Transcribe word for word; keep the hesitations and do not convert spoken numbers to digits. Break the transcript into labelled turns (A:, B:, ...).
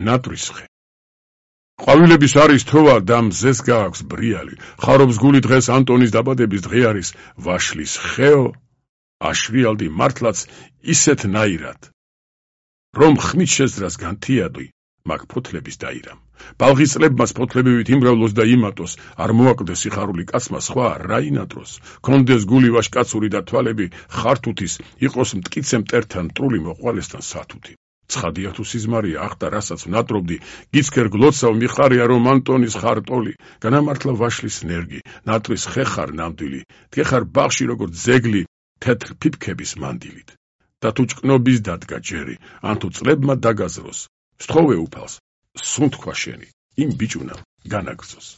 A: ნატრის ხე. ყვავილების არის თოვა და მზეს გააქვს ბრიალი. ხარობს გული დღეს ანტონის დაბადების დღე არის ვაშლის ხეო. აშრიალდი მართლაც ისეთნაირად, რომ ხმით შეძრას განთიადო, მაგ ფოთლების დაირამ. ბალღის წლებმაც ფოთლებივით იმრავლოს და იმატოს, არ მოაკლდეს სიხარული კაცმა სხვა რა ინატროს. კონდეს გული ვაშკაცური და თვალები ხართუთის, იყოს მტკიცე მტერთან მტრული მოყვალესთან სათუთი. ცხადია თუ სიზმარია ახტა რასაც ვნატრობდი, გიცქერ გლოცავ მიხარია რომ ანტონის ხარტოლი, განამართლა ვაშლის ნერგი, ნატრის ხე ხარ ნამდვილი, დგეხარ ბაღში როგორც ძეგლი თეთრ ფიფქების მანდილით. და თუ ჭკნობის დადგა ჯერი, ან თუ წლებმა დაგაზროს, სთხოვე უფალს, სუნთქვა შენი, იმ ბიჭუნამ განაგრძოს.